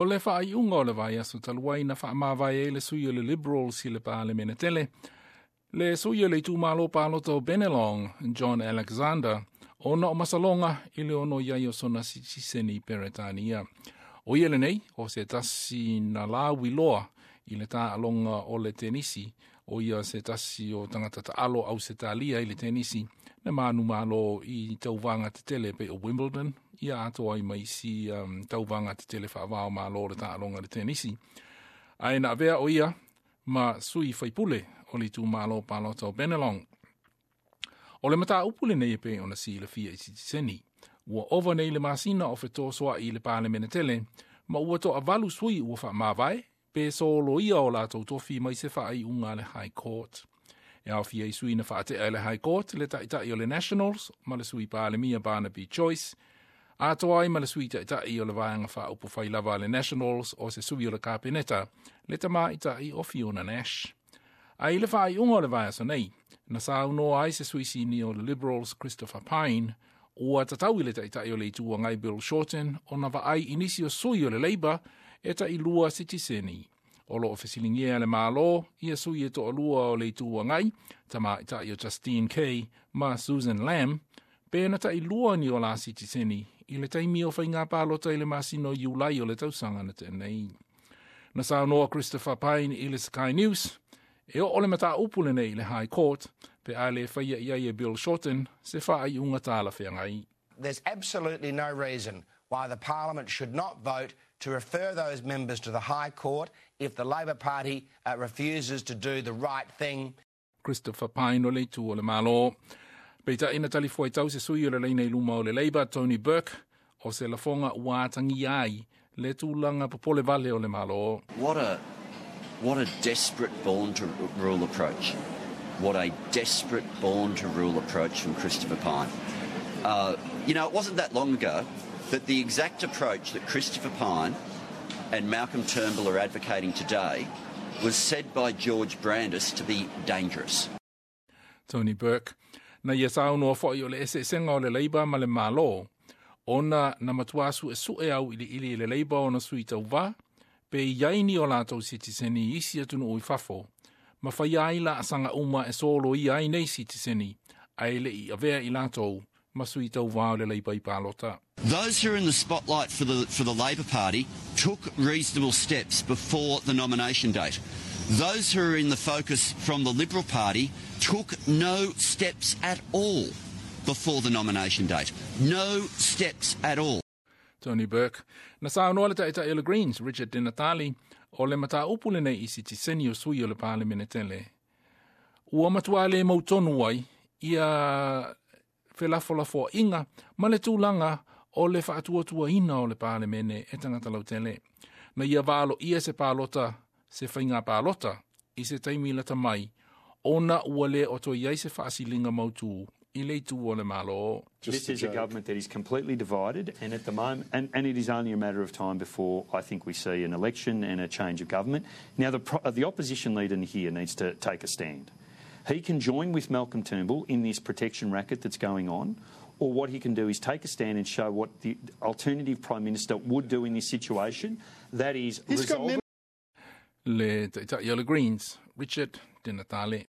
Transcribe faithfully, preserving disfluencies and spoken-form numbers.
O le faaiuga o le vaiaso talu ai na faamavae ai le sui o le Liberals i le Palemene tele. Le sui o le itumalo palota o Bennelong, John Alexander, ona o masaloga i le ono i ai o sona sitiseni Peretania. O ia lenei, o se tasi na lauiloa i le taaloga o le tenisi, o ia se tasi o tagata taalo Ausetalia i le tenisi, na manumalo i tauvaga tetele pei o Wimbledon, ia atoa ai ma isi um, tauvaga tetele faava-o-Malo le taaloga le tenisi. Ae na avea o ia ma sui faipule o le itumalo palota o Bennelong. O le mataupu lenei e pei ona silafia i sitiseni. Ua ova nei le masina o fetosoa'i i le Palemene tele, ma ua toavalu sui ua faamavae, pe soloia o latou tofi mai se faaiuga a le High Court. E aofia i sui na faatea e le High Court le taitai o le Nationals ma le sui Palemia Barnaby Joyce, atoa ai ma le sui taitai o le vaega faaupufai lava a le Nationals o se sui o le Kapeneta, le tamaitai o Fiona Nash. Ae i le faaiuga o le vaiaso nei, na saunoa ai se sui sinia o le Liberals Christopher Pyne, ua tatau i le taitai o le Itu Agai Bill Shorten ona vaai i nisi o sui o le Labour e tailua sitiseni. O loo fesiligia le Malo ia sui e toalua o le Itu Agai, tamaitai o Justine Keay ma Susan Lamb, pe na tailua ni o la sitiseni i le taimi o faiga palota i le masina o Iulai o le tausaga na tea nei. Na saunoa Christopher Pyne i le Sky News, e oo le mataupu lenei i le High Court, pe a le faia i ai e Bill Shorten se faaiuga talafeagai. There's absolutely no reason why the Parliament should not vote to refer those members to the High Court if the Labor Party uh, refuses to do the right thing. Christopher Pyne o le itu o le Malo. Peitai na talifuaitau se sui o le laina i luma o le Labour, Tony Burke, o se lafoga ua atagia ai le tulaga popole vale o le Malo. What a, what a desperate born to rule approach. What a desperate born to rule approach from Christopher Pyne. Uh, you know, it wasn't that long ago that the exact approach that Christopher Pyne and Malcolm Turnbull are advocating today was said by George Brandis to be dangerous. Tony Burke. Na ia saunoa foi o le eseesega o le Labour ma le Malo, ona na matua suesue auiliili e le Labour ona sui tauvā, pe i ai ni o latou sitiseni i isi atunuu i fafo, ma faia ai laasaga uma e soloia ai nei sitiseni, ae le i avea i latou ma sui tauvā o le Labour i palota. Those who are in the spotlight for the, for the Labor Party took reasonable steps before the nomination date. Those who are in the focus from the Liberal Party took no steps at all before the nomination date. No steps at all. Tony Burke. Na saunoa le taitai o le Greens, Richard Di Natale, o le mataupu lenei i sitiseni o sui o le Palemene tele. Ua matua le mautonu ai ia felafolafoaiga ma le tulaga o le faatuatuaina o le Palemene e tagata lautele. Na ia valoia se palota, se faiga palota, i se taimi lata mai, ona ua le o toe i ai se faasiliga mautū i le itu o le Malo. This is a government that is completely divided, and at the moment, and, and it is only a matter of time before I think we see an election and a change of government. Now, the, pro- the opposition leader here needs to take a stand. He can join with Malcolm Turnbull in this protection racket that's going on, or what he can do is take a stand and show what the alternative Prime Minister would do in this situation. That is, He's got resolve Le taitai o le Greens, Richard Di Natale.